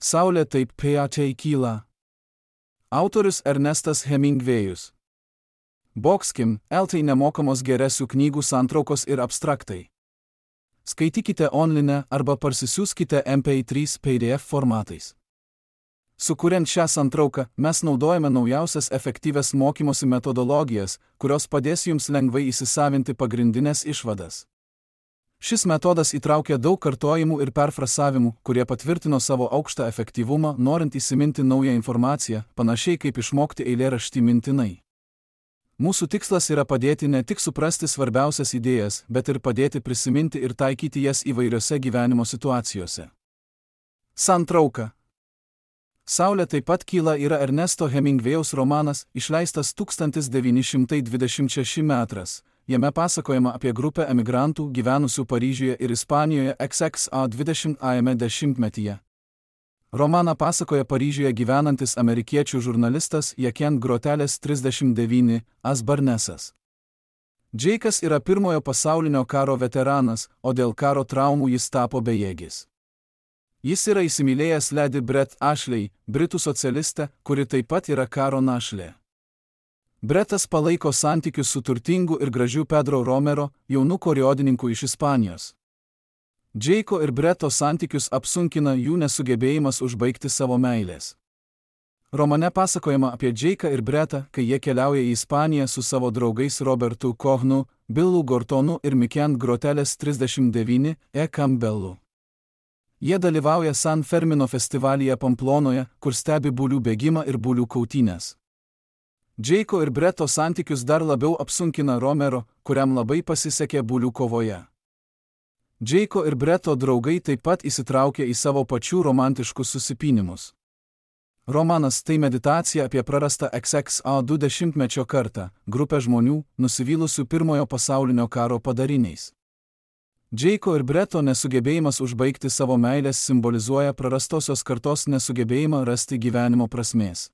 Saulė taip pačiai kyla. Autorius Ernestas Hemingvėjus. Bokskim, eltai nemokamos geresių knygų santraukos ir abstraktai. Skaitykite online arba parsisiųskite MP3 PDF formatais. Sukuriant šią santrauką, mes naudojame naujausias efektyvias mokymosi metodologijas, kurios padės jums lengvai įsisavinti pagrindinės išvadas. Šis metodas įtraukia daug kartojimų ir perfrasavimų, kurie patvirtino savo aukštą efektyvumą, norint įsiminti naują informaciją, panašiai kaip išmokti eilėraštį mintinai. Mūsų tikslas yra padėti ne tik suprasti svarbiausias idėjas, bet ir padėti prisiminti ir taikyti jas įvairiose gyvenimo situacijose. Santrauka. Saulė taip pat kyla yra Ernesto Hemingvėjaus romanas, išleistas 1926 metras. Jame pasakojama apie grupę emigrantų gyvenusių Paryžiuje ir Ispanijoje XX20-ajame dešimtmetyje. Romaną pasakoja Paryžiuje gyvenantis amerikiečių žurnalistas Jacques Groteles 39 Barnesas. Džeikas yra pirmojo pasaulinio karo veteranas, o dėl karo traumų jis tapo bejėgis. Jis yra įsimylėjęs Lady Brett Ashley, britų socialistę, kuri taip pat yra karo našlė. Brettas palaiko santykius su turtingu ir gražiu Pedro Romero, jaunu koriodininku iš Ispanijos. Džeiko ir Bretto santykius apsunkina jų nesugebėjimas užbaigti savo meilės. Romane pasakojama apie Džeiką ir Brettą, kai jie keliauja į Ispaniją su savo draugais Robertu Kohnu, Billu Gortonu ir Jacques Groteles 39 Campbellu. Jie dalyvauja San Fermino festivalyje Pamplonoje, kur stebi bulių bėgimą ir bulių kautynės. Džeiko ir Bretto santykius dar labiau apsunkina Romero, kuriam labai pasisekė bulių kovoje. Džeiko ir Bretto draugai taip pat įsitraukia į savo pačių romantiškus susipynimus. Romanas tai meditacija apie prarastą XX20-mečio kartą, grupę žmonių, nusivylusių pirmojo pasaulinio karo padariniais. Džeiko ir Bretto nesugebėjimas užbaigti savo meilės simbolizuoja prarastosios kartos nesugebėjimą rasti gyvenimo prasmės.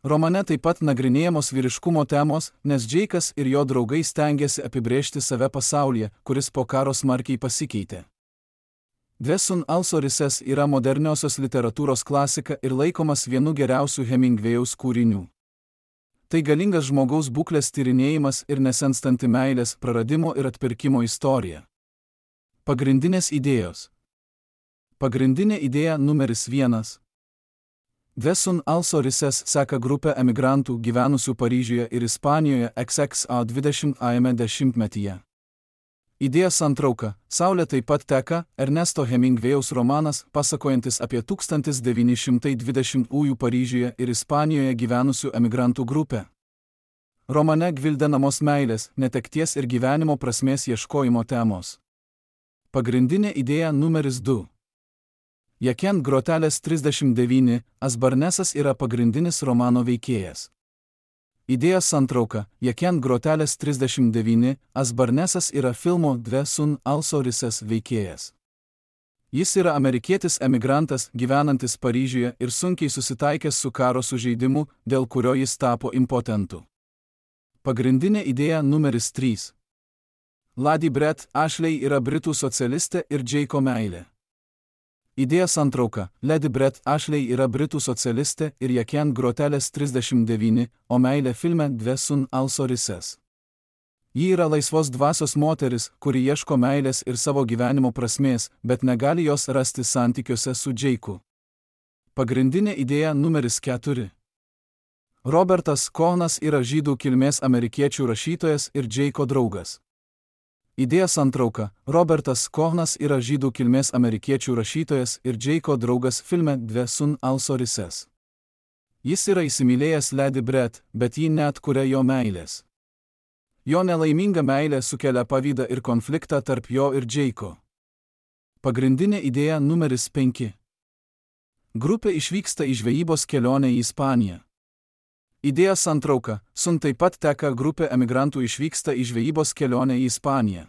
Romane taip pat nagrinėjamos vyriškumo temos, nes Džeikas ir jo draugai stengiasi apibrėžti save pasaulyje, kuris po karo smarkiai pasikeitė. Dvesun Alsorises yra moderniosios literatūros klasika ir laikomas vienu geriausių Hemingvėjaus kūrinių. Tai galingas žmogaus būklės tyrinėjimas ir nesenstanti meilės, praradimo ir atpirkimo istorija. Pagrindinės idėjos. Pagrindinė idėja numeris 1. Dvesun Alsorises seka grupę emigrantų gyvenusių Paryžiuje ir Ispanijoje XX20-ajame dešimtmetyje. Idėja santrauka. Saulė taip pat teka, Ernesto Hemingvėjaus romanas, pasakojantis apie 1920-ųjų Paryžiuje ir Ispanijoje gyvenusių emigrantų grupę. Romane gvildenamos meilės, netekties ir gyvenimo prasmės ieškojimo temos. Pagrindinė idėja numeris 2. Jacques Groteles 39 Barnesas yra pagrindinis romano veikėjas. Idėja santrauka. Jacques Groteles 39 Barnesas yra filmo Dvesun Alsorises veikėjas. Jis yra amerikietis emigrantas, gyvenantis Paryžiuje ir sunkiai susitaikęs su karo sužeidimu, dėl kurio jis tapo impotentu. Pagrindinė idėja numeris 3. Lady Brett Ashley yra britų socialistė ir Džeiko meilė. Idėja santrauka. Lady Brett Ashley yra britų socialistė ir Jacques Groteles 39, o meilė filme Dvesun Alsorises. Ji yra laisvos dvasios moteris, kuri ieško meilės ir savo gyvenimo prasmės, bet negali jos rasti santykiuose su Džeiku. Pagrindinė idėja numeris 4. Robertas Kohnas yra žydų kilmės amerikiečių rašytojas ir Džeiko draugas. Idėja santrauka. Robertas Kohnas yra žydų kilmės amerikiečių rašytojas ir Džeiko draugas filme Dvesun Alsorises. Jis yra įsimylėjęs Lady Brett, bet ji neatkuria jo meilės. Jo nelaiminga meilė sukelia pavydą ir konfliktą tarp jo ir Džeiko. Pagrindinė idėja numeris 5. Grupė išvyksta į žvejybos kelionę į Ispaniją. Idėja santrauka. Sun taip pat teka, grupė emigrantų išvyksta į žvejybos kelionę į Ispaniją.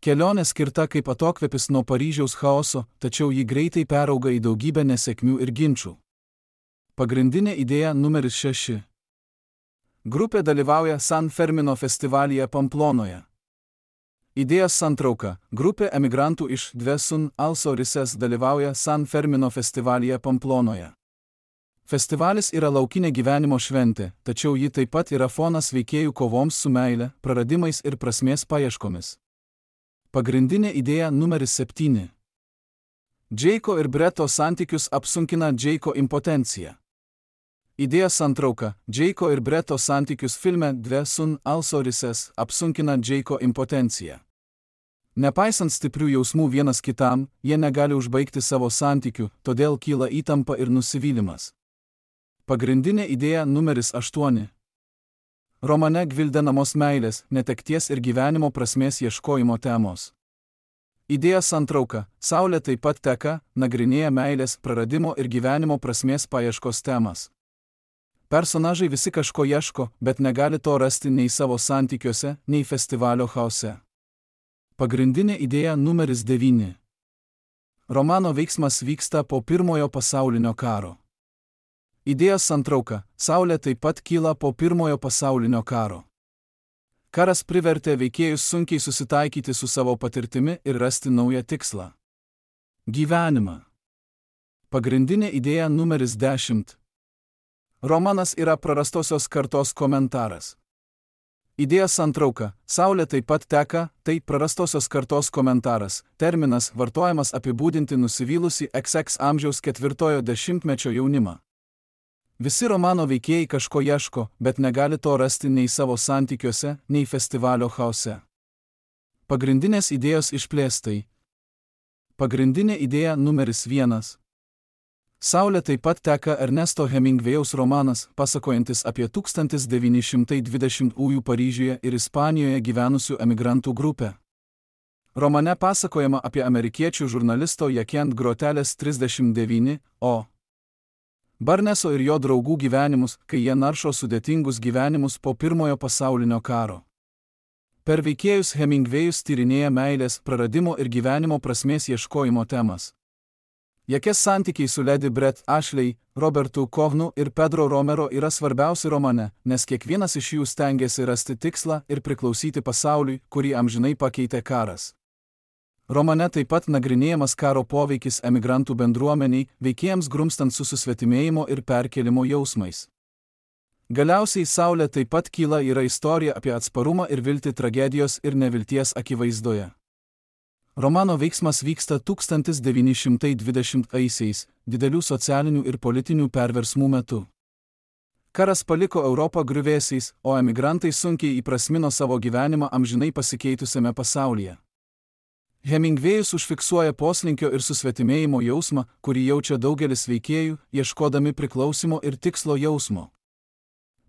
Kelionė skirta kaip atokvėpis nuo Paryžiaus chaoso, tačiau ji greitai perauga į daugybę nesėkmių ir ginčų. Pagrindinė idėja numeris 6. Grupė dalyvauja San Fermino festivalyje Pamplonoje. Idėjos santrauka. Grupė emigrantų iš Dvesun Also Rises dalyvauja San Fermino festivalyje Pamplonoje. Festivalis yra laukinė gyvenimo šventė, tačiau ji taip pat yra fonas veikėjų kovoms su meile, praradimais ir prasmės paieškomis. Pagrindinė idėja numeris 7. Džeiko ir Breto santykius apsunkina Džeiko impotencija. Idėja santrauka. Džeiko ir Breto santykius filme Dvesun Also Rises apsunkina Džeiko impotencija. Nepaisant stiprių jausmų vienas kitam, jie negali užbaigti savo santykių, todėl kyla įtampa ir nusivylimas. Pagrindinė idėja numeris 8. Romane gvildenamos meilės, netekties ir gyvenimo prasmės ieškojimo temos. Idėja santrauka. Saulė taip pat teka, nagrinėja meilės, praradimo ir gyvenimo prasmės paieškos temas. Personažai visi kažko ieško, bet negali to rasti nei savo santykiuose, nei festivalio chaose. Pagrindinė idėja numeris 9. Romano veiksmas vyksta po Pirmojo pasaulinio karo. Idėja santrauka. Saulė taip pat kyla po Pirmojo pasaulinio karo. Karas privertė veikėjus sunkiai susitaikyti su savo patirtimi ir rasti naują tikslą. Gyvenimą. Pagrindinė idėja numeris 10. Romanas yra prarastosios kartos komentaras. Idėja santrauka. Saulė taip pat teka, tai prarastosios kartos komentaras, terminas vartojamas apibūdinti nusivylusį XX amžiaus 4-ojo dešimtmečio jaunimą. Visi romano veikėjai kažko ieško, bet negali to rasti nei savo santykiuose, nei festivalio chaose. Pagrindinės idėjos išplėstai. Pagrindinė idėja numeris 1. Saulė taip pat teka Ernesto Hemingvėjaus romanas, pasakojantis apie 1920-ųjų Paryžiuje ir Ispanijoje gyvenusių emigrantų grupę. Romane pasakojama apie amerikiečių žurnalisto Jacques Grotelės 39, o Barneso ir jo draugų gyvenimus, kai jie naršo sudėtingus gyvenimus po Pirmojo pasaulinio karo. Per veikėjus Hemingvėjus tyrinėja meilės, praradimo ir gyvenimo prasmės ieškojimo temas. Jacques santykiai su Lady Brett Ashley, Robertu Kovnu ir Pedro Romero yra svarbiausi romane, nes kiekvienas iš jų stengiasi rasti tikslą ir priklausyti pasauliui, kurį amžinai pakeitė karas. Romane taip pat nagrinėjamas karo poveikis emigrantų bendruomeniai, veikėjams grumstant su susvetimėjimo ir perkėlimo jausmais. Galiausiai Saulė taip pat kyla yra istorija apie atsparumą ir viltį tragedijos ir nevilties akivaizdoje. Romano veiksmas vyksta 1920-aisiais, didelių socialinių ir politinių perversmų metu. Karas paliko Europą griuvėsiais, o emigrantai sunkiai įprasmino savo gyvenimą amžinai pasikeitusiame pasaulyje. Hemingvėjus užfiksuoja poslinkio ir susvetimėjimo jausmą, kurį jaučia daugelis veikėjų, ieškodami priklausimo ir tikslo jausmo.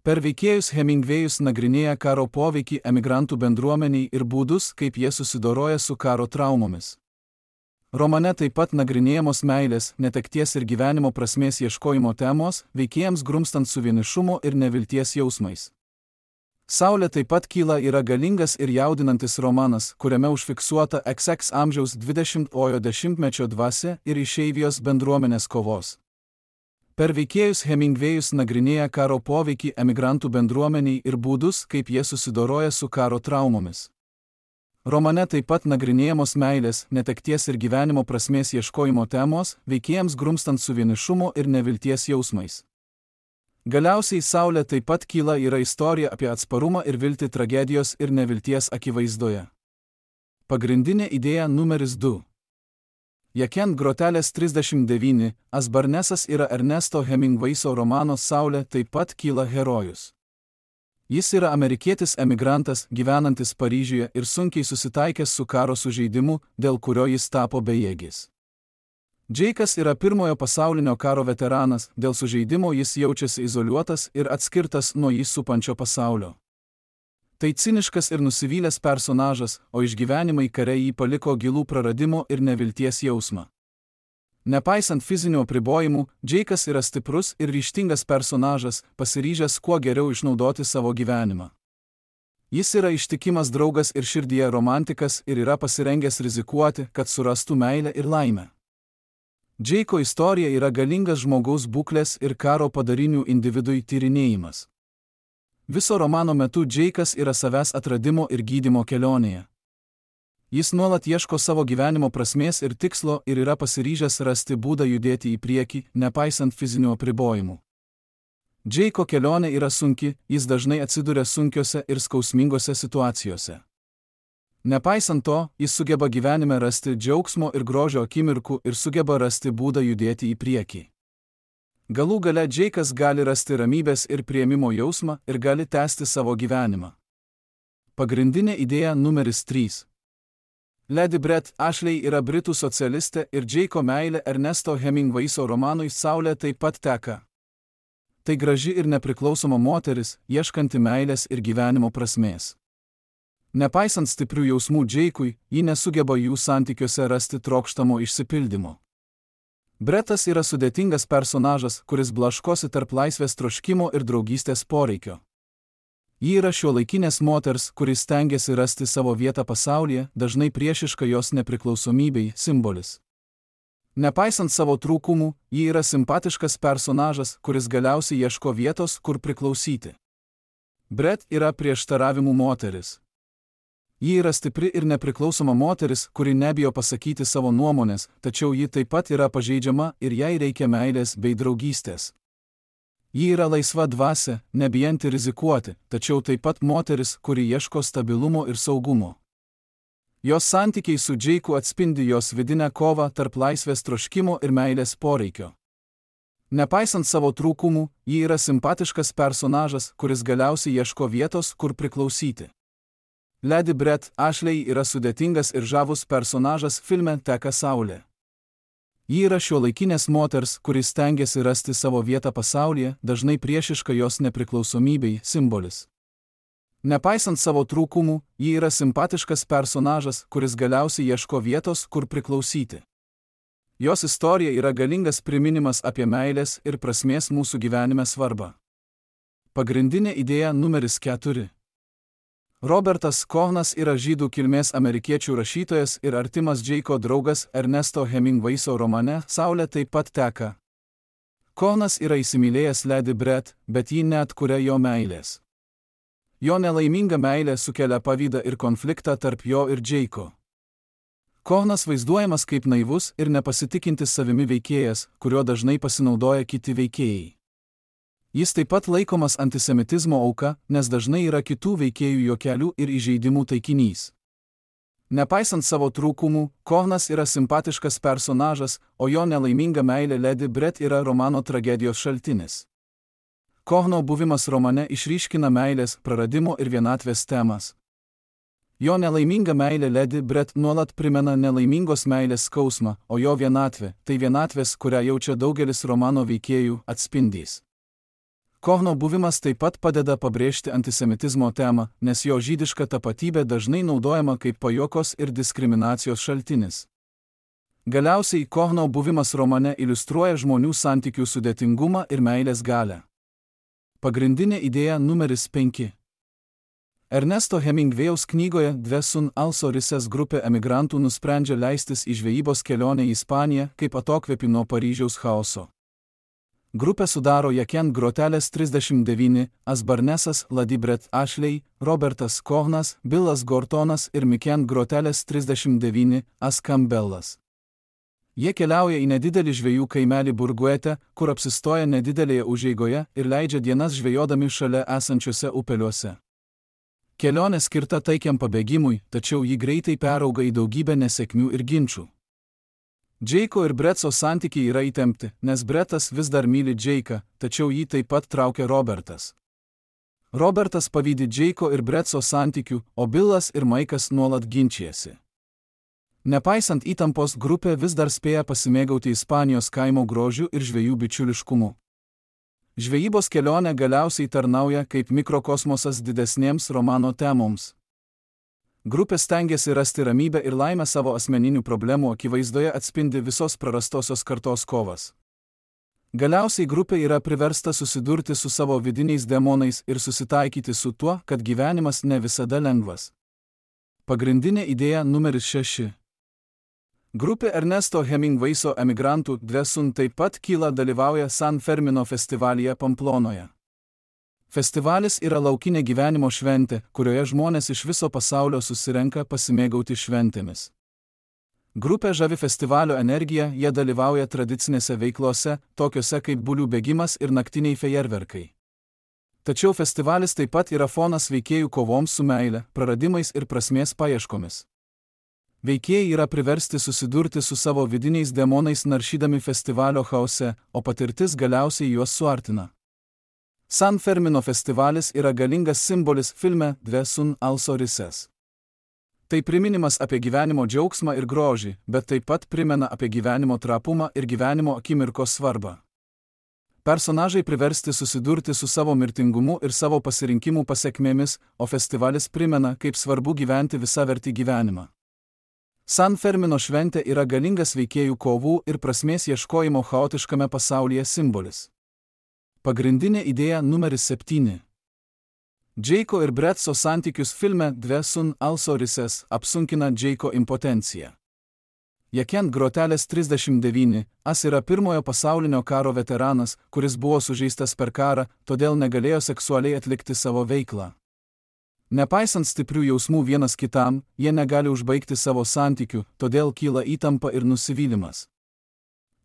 Per veikėjus Hemingvėjus nagrinėja karo poveikį emigrantų bendruomeniai ir būdus, kaip jie susidoroja su karo traumomis. Romane taip pat nagrinėjamos meilės, netekties ir gyvenimo prasmės ieškojimo temos, veikėjams grumstant su vienišumo ir nevilties jausmais. Saulė taip pat kyla yra galingas ir jaudinantis romanas, kuriame užfiksuota XX amžiaus 20-ojo dešimtmečio dvasia ir išeivijos bendruomenės kovos. Per veikėjus Hemingvėjus nagrinėja karo poveikį emigrantų bendruomeniai ir būdus, kaip jie susidoroja su karo traumomis. Romane taip pat nagrinėjamos meilės, netekties ir gyvenimo prasmės ieškojimo temos, veikėjams grumstant su vienišumo ir nevilties jausmais. Galiausiai Saulė taip pat kyla yra istorija apie atsparumą ir viltį tragedijos ir nevilties akivaizdoje. Pagrindinė idėja numeris 2. Jacques Grotelės 39, Barnesas yra Ernesto Hemingvėjo romano Saulė taip pat kyla herojus. Jis yra amerikietis emigrantas, gyvenantis Paryžiuje ir sunkiai susitaikęs su karo sužeidimu, dėl kurio jis tapo bejėgis. Džeikas yra Pirmojo pasaulinio karo veteranas, dėl sužeidimo jis jaučiasi izoliuotas ir atskirtas nuo jį supančio pasaulio. Tai ciniškas ir nusivylęs personažas, o išgyvenimai kare jį paliko gilų praradimo ir nevilties jausmą. Nepaisant fizinių apribojimų, Džeikas yra stiprus ir ryžtingas personažas, pasiryžęs kuo geriau išnaudoti savo gyvenimą. Jis yra ištikimas draugas ir širdyje romantikas ir yra pasirengęs rizikuoti, kad surastų meilę ir laimę. Džeiko istorija yra galingas žmogaus būklės ir karo padarinių individui tyrinėjimas. Viso romano metu Džeikas yra savęs atradimo ir gydymo kelionėje. Jis nuolat ieško savo gyvenimo prasmės ir tikslo ir yra pasiryžęs rasti būdą judėti į priekį, nepaisant fizinių apribojimų. Džeiko kelionė yra sunki, jis dažnai atsiduria sunkiose ir skausmingose situacijose. Nepaisant to, jis sugeba gyvenime rasti džiaugsmo ir grožio akimirkų ir sugeba rasti būdą judėti į priekį. Galų gale Džeikas gali rasti ramybės ir priėmimo jausmą ir gali tęsti savo gyvenimą. Pagrindinė idėja numeris 3. Lady Brett Ashley yra britų socialistė ir Džeiko meilė Ernesto Hemingwayso romanui Saulė taip pat teka. Tai graži ir nepriklausoma moteris, ieškanti meilės ir gyvenimo prasmės. Nepaisant stiprių jausmų Džeikui, ji nesugeba jų santykiuose rasti trokštamo išsipildymo. Brettas yra sudėtingas personažas, kuris blaškosi tarp laisvės troškimo ir draugystės poreikio. Ji yra šiuolaikinės moters, kuris stengiasi rasti savo vietą pasaulyje, dažnai priešiška jos nepriklausomybei simbolis. Nepaisant savo trūkumų, ji yra simpatiškas personažas, kuris galiausiai ieško vietos, kur priklausyti. Brett yra prieštaravimų moteris. Ji yra stipri ir nepriklausoma moteris, kuri nebijo pasakyti savo nuomonės, tačiau ji taip pat yra pažeidžiama ir jai reikia meilės bei draugystės. Ji yra laisva dvasia, nebijanti rizikuoti, tačiau taip pat moteris, kuri ieško stabilumo ir saugumo. Jos santykiai su Džeiku atspindi jos vidinę kovą tarp laisvės troškimo ir meilės poreikio. Nepaisant savo trūkumų, ji yra simpatiškas personažas, kuris galiausiai ieško vietos, kur priklausyti. Lady Brett Ashley yra sudėtingas ir žavus personažas filme Teka Saulė. Ji yra šiuolaikinės moters, kuris stengiasi rasti savo vietą pasaulyje, dažnai priešiška jos nepriklausomybei simbolis. Nepaisant savo trūkumų, ji yra simpatiškas personažas, kuris galiausiai ieško vietos, kur priklausyti. Jos istorija yra galingas priminimas apie meilės ir prasmės mūsų gyvenime svarbą. Pagrindinė idėja numeris 4. Robertas Kohnas yra žydų kilmės amerikiečių rašytojas ir artimas Džeiko draugas Ernesto Hemingwayso romane Saulė taip pat teka. Kohnas yra įsimylėjęs Lady Brett, bet ji neatkuria jo meilės. Jo nelaiminga meilė sukelia pavydą ir konfliktą tarp jo ir Džeiko. Kohnas vaizduojamas kaip naivus ir nepasitikintis savimi veikėjas, kuriuo dažnai pasinaudoja kiti veikėjai. Jis taip pat laikomas antisemitizmo auka, nes dažnai yra kitų veikėjų juokelių ir įžeidimų taikinys. Nepaisant savo trūkumų, Kohnas yra simpatiškas personažas, o jo nelaiminga meilė Lady Brett yra romano tragedijos šaltinis. Kohno buvimas romane išryškina meilės, praradimo ir vienatvės temas. Jo nelaiminga meilė Lady Brett nuolat primena nelaimingos meilės skausmą, o jo vienatvė, tai vienatvės, kurią jaučia daugelis romano veikėjų, atspindys. Kohno buvimas taip pat padeda pabrėžti antisemitizmo temą, nes jo žydiška tapatybė dažnai naudojama kaip pajuokos ir diskriminacijos šaltinis. Galiausiai Kohno buvimas romane iliustruoja žmonių santykių sudėtingumą ir meilės galią. Pagrindinė idėja numeris 5. Ernesto Hemingwayaus knygoje Dvesun also Rises grupė emigrantų nusprendžia leistis į žvejybos kelionę į Ispaniją kaip atokvėpį nuo Paryžiaus chaoso. Grupę sudaro Jaken Groteles 39, Asbarnesas, Lady Brett Ashley, Robertas Kohnas, Billas Gortonas ir Miken Groteles 39, As Campbellas. Jie keliauja į nedidelį žvejų kaimelį Burguete, kur apsistoja nedidelėje užeigoje ir leidžia dienas žvejodami šalia esančiuose upeliuose. Kelionė skirta taikiam pabėgimui, tačiau ji greitai perauga į daugybę nesėkmių ir ginčų. Džeiko ir Bretso santykiai yra įtempti, nes Brettas vis dar myli Džeiką, tačiau jį taip pat traukia Robertas. Robertas pavydi Džeiko ir Bretso santykių, o Billas ir Maikas nuolat ginčijasi. Nepaisant įtampos, grupė vis dar spėja pasimėgauti Ispanijos kaimo grožiu ir žvejų bičiuliškumu. Žvejybos kelionė galiausiai tarnauja kaip mikrokosmosas didesnėms romano temoms. Grupė stengiasi rasti ramybę ir laimę savo asmeninių problemų akivaizdoje atspindi visos prarastosios kartos kovas. Galiausiai grupė yra priversta susidurti su savo vidiniais demonais ir susitaikyti su tuo, kad gyvenimas ne visada lengvas. Pagrindinė idėja numeris 6. Grupė Ernesto Hemingwayso emigrantų Dvesun taip pat kyla dalyvauja San Fermino festivalyje Pamplonoje. Festivalis yra laukinė gyvenimo šventė, kurioje žmonės iš viso pasaulio susirenka pasimėgauti šventėmis. Grupė žavi festivalio energija, jie dalyvauja tradicinėse veiklose, tokiuose kaip bulių bėgimas ir naktiniai fejerverkai. Tačiau festivalis taip pat yra fonas veikėjų kovoms su meile, praradimais ir prasmės paieškomis. Veikėjai yra priversti susidurti su savo vidiniais demonais naršydami festivalio chaose, o patirtis galiausiai juos suartina. San Fermino festivalis yra galingas simbolis filme Dve sun also rises. Tai priminimas apie gyvenimo džiaugsmą ir grožį, bet taip pat primena apie gyvenimo trapumą ir gyvenimo akimirkos svarbą. Personažai priversti susidurti su savo mirtingumu ir savo pasirinkimų pasekmėmis, o festivalis primena, kaip svarbu gyventi visavertį gyvenimą. San Fermino šventė yra galingas veikėjų kovų ir prasmės ieškojimo chaotiškame pasaulyje simbolis. Pagrindinė idėja numeris 7. Džeiko ir Bretso santykius filme Dve sun also rises apsunkina Džeiko impotencija. Jekent Groteles 39, yra pirmojo pasaulinio karo veteranas, kuris buvo sužeistas per karą, todėl negalėjo seksualiai atlikti savo veiklą. Nepaisant stiprių jausmų vienas kitam, jie negali užbaigti savo santykių, todėl kyla įtampa ir nusivylimas.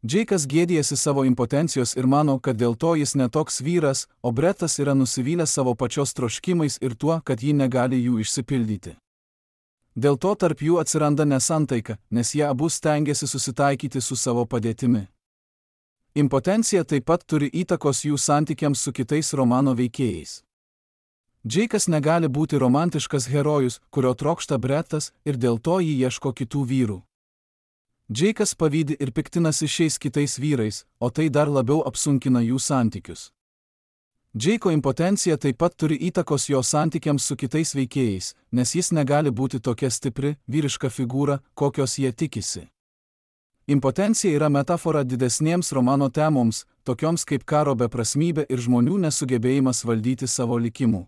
Džeikas gėdijasi savo impotencijos ir mano, kad dėl to jis netoks vyras, o Bretas yra nusivylęs savo pačios troškimais ir tuo, kad ji negali jų išsipildyti. Dėl to tarp jų atsiranda nesantaika, nes jie abu stengiasi susitaikyti su savo padėtimi. Impotencija taip pat turi įtakos jų santykiams su kitais romano veikėjais. Džeikas negali būti romantiškas herojus, kurio trokšta Bretas, ir dėl to jį ieško kitų vyrų. Džeikas pavydi ir piktinasi šiais kitais vyrais, o tai dar labiau apsunkina jų santykius. Džeiko impotencija taip pat turi įtakos jo santykiams su kitais veikėjais, nes jis negali būti tokia stipri, vyriška figūra, kokios jie tikisi. Impotencija yra metafora didesniems romano temoms, tokioms kaip karo beprasmybė ir žmonių nesugebėjimas valdyti savo likimų.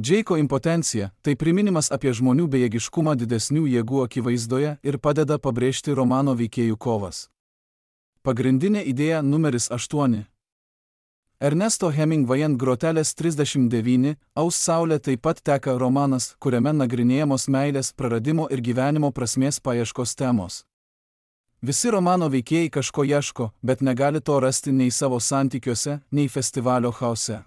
Džeiko impotencija – tai priminimas apie žmonių bejėgiškumą didesnių jėgų akivaizdoje ir padeda pabrėžti romano veikėjų kovas. Pagrindinė idėja numeris 8. Ernesto Hemingway'ant Groteles 39, Aus saulė taip pat teka romanas, kuriame nagrinėjamos meilės, praradimo ir gyvenimo prasmės paieškos temos. Visi romano veikėjai kažko ieško, bet negali to rasti nei savo santykiuose, nei festivalio chaose.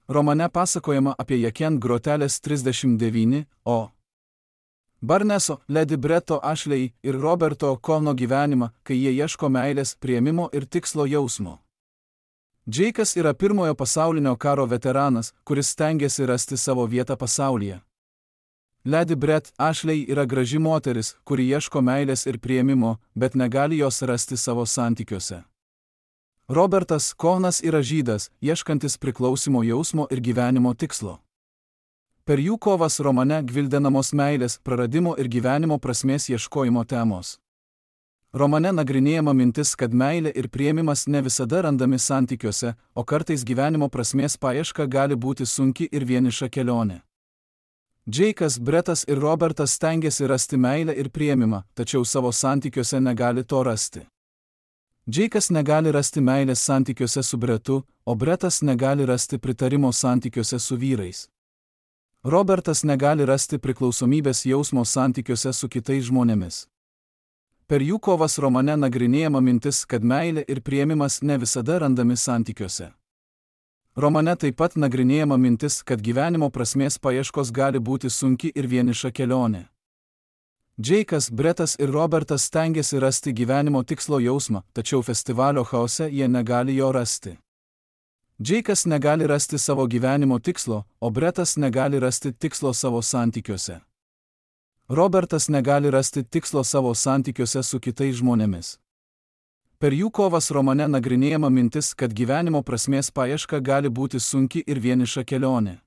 Romane pasakojama apie Jekent Groteles 39, o Barneso, Lady Breto Ashley ir Roberto O'Connor gyvenimą, kai jie ieško meilės, priėmimo ir tikslo jausmo. Džeikas yra pirmojo pasaulinio karo veteranas, kuris stengiasi rasti savo vietą pasaulyje. Lady Bret Ashley yra graži moteris, kuri ieško meilės ir priėmimo, bet negali jos rasti savo santykiuose. Robertas O'Connor yra žydas, ieškantis priklausimo jausmo ir gyvenimo tikslo. Per jų kovas romane gvildenamos meilės, praradimo ir gyvenimo prasmės ieškojimo temos. Romane nagrinėjama mintis, kad meilė ir priėmimas ne visada randami santykiuose, o kartais gyvenimo prasmės paieška gali būti sunki ir vieniša kelionė. Džeikas, Bretas ir Robertas stengiasi rasti meilę ir priėmimą, tačiau savo santykiuose negali to rasti. Džeikas negali rasti meilės santykiuose su Bretu, o Bretas negali rasti pritarimo santykiuose su vyrais. Robertas negali rasti priklausomybės jausmo santykiuose su kitais žmonėmis. Per jų kovas romane nagrinėjama mintis, kad meilė ir priėmimas ne visada randami santykiuose. Romane taip pat nagrinėjama mintis, kad gyvenimo prasmės paieškos gali būti sunki ir vieniša kelionė. Džeikas, Bretas ir Robertas stengiasi rasti gyvenimo tikslo jausmą, tačiau festivalio chaose jie negali jo rasti. Džeikas negali rasti savo gyvenimo tikslo, o Bretas negali rasti tikslo savo santykiuose. Robertas negali rasti tikslo savo santykiuose su kitais žmonėmis. Per jų kovas romane nagrinėjama mintis, kad gyvenimo prasmės paieška gali būti sunki ir vieniša kelionė.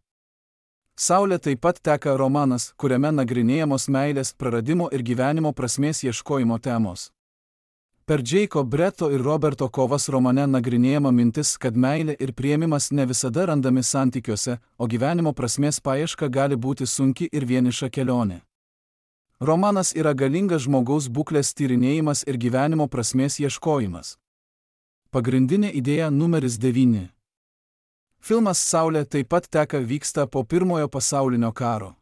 Saulė taip pat teka romanas, kuriame nagrinėjamos meilės, praradimo ir gyvenimo prasmės ieškojimo temos. Per Džeiko, Breto ir Roberto kovas romane nagrinėjama mintis, kad meilė ir priėmimas ne visada randami santykiuose, o gyvenimo prasmės paieška gali būti sunki ir vieniša kelionė. Romanas yra galingas žmogaus būklės tyrinėjimas ir gyvenimo prasmės ieškojimas. Pagrindinė idėja numeris 9. Filmas Saulė taip pat vyksta po Pirmojo pasaulinio karo.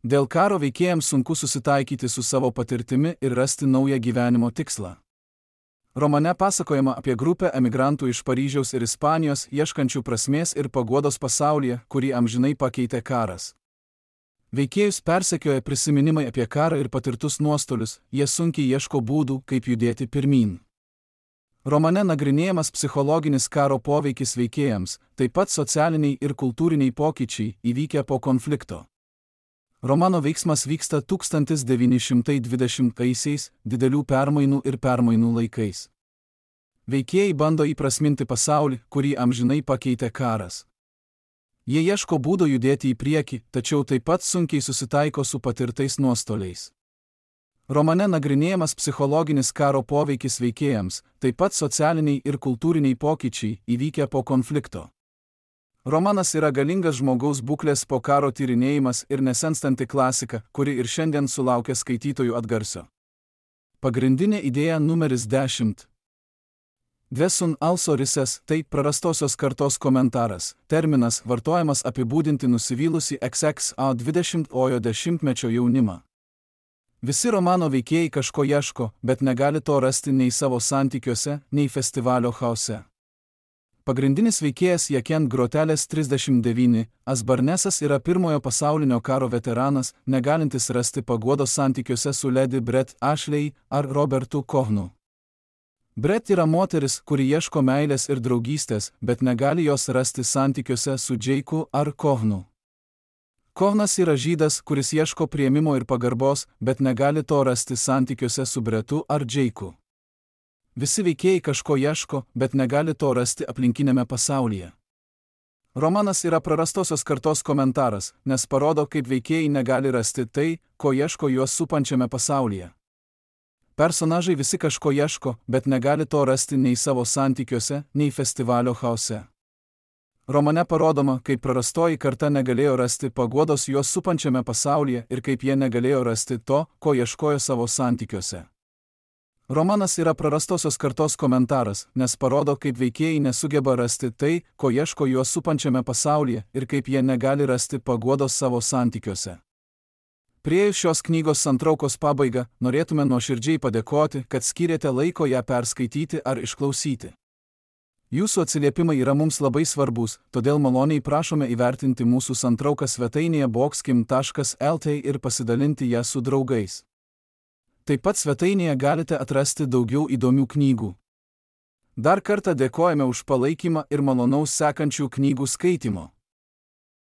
Dėl karo veikėjams sunku susitaikyti su savo patirtimi ir rasti naują gyvenimo tikslą. Romane pasakojama apie grupę emigrantų iš Paryžiaus ir Ispanijos ieškančių prasmės ir paguodos pasaulyje, kurį amžinai pakeitė karas. Veikėjus persekioja prisiminimai apie karą ir patirtus nuostolius, jie sunkiai ieško būdų, kaip judėti pirmyn. Romane nagrinėjamas psichologinis karo poveikis veikėjams, taip pat socialiniai ir kultūriniai pokyčiai įvykę po konflikto. Romano veiksmas vyksta 1920-aisiais, didelių permainų laikais. Veikėjai bando įprasminti pasaulį, kurį amžinai pakeitė karas. Jie ieško būdo judėti į priekį, tačiau taip pat sunkiai susitaiko su patirtais nuostoliais. Romane nagrinėjamas psichologinis karo poveikis veikėjams, taip pat socialiniai ir kultūriniai pokyčiai įvykę po konflikto. Romanas yra galingas žmogaus būklės po karo tyrinėjimas ir nesenstanti klasika, kuri ir šiandien sulaukia skaitytojų atgarsio. Pagrindinė idėja numeris 10. Dvesun also rises, tai prarastosios kartos komentaras, terminas vartojamas apibūdinti nusivylusi XX-20-ojo dešimtmečio jaunimą. Visi romano veikėjai kažko ieško, bet negali to rasti nei savo santykiuose, nei festivalio chaose. Pagrindinis veikėjas Jaken Grotelės 39, Asbarnesas yra Pirmojo pasaulinio karo veteranas, negalintis rasti paguodos santykiuose su Lady Brett Ashley ar Robertu Kohnu. Brett yra moteris, kuri ieško meilės ir draugystės, bet negali jos rasti santykiuose su Jake'u ar Kohnu. Kohnas yra žydas, kuris ieško priėmimo ir pagarbos, bet negali to rasti santykiuose su Brettu ar Jake'u. Visi veikėjai kažko ieško, bet negali to rasti aplinkiniame pasaulyje. Romanas yra prarastosios kartos komentaras, nes parodo, kaip veikėjai negali rasti tai, ko ieško juos supančiame pasaulyje. Personažai visi kažko ieško, bet negali to rasti nei savo santykiuose, nei festivalio chaose. Romane parodoma, kaip prarastoji karta negalėjo rasti paguodos juos supančiame pasaulyje ir kaip jie negalėjo rasti to, ko ieškojo savo santykiuose. Romanas yra prarastosios kartos komentaras, nes parodo, kaip veikėjai nesugeba rasti tai, ko ieško juos supančiame pasaulyje ir kaip jie negali rasti paguodos savo santykiuose. Priėjus šios knygos santraukos pabaigą, norėtume nuoširdžiai padėkoti, kad skyrėte laiko ją perskaityti ar išklausyti. Jūsų atsiliepimai yra mums labai svarbus, todėl maloniai prašome įvertinti mūsų santrauką svetainėje boxkim.lt ir pasidalinti ją su draugais. Taip pat svetainėje galite atrasti daugiau įdomių knygų. Dar kartą dėkojame už palaikymą ir malonaus sekančių knygų skaitymo.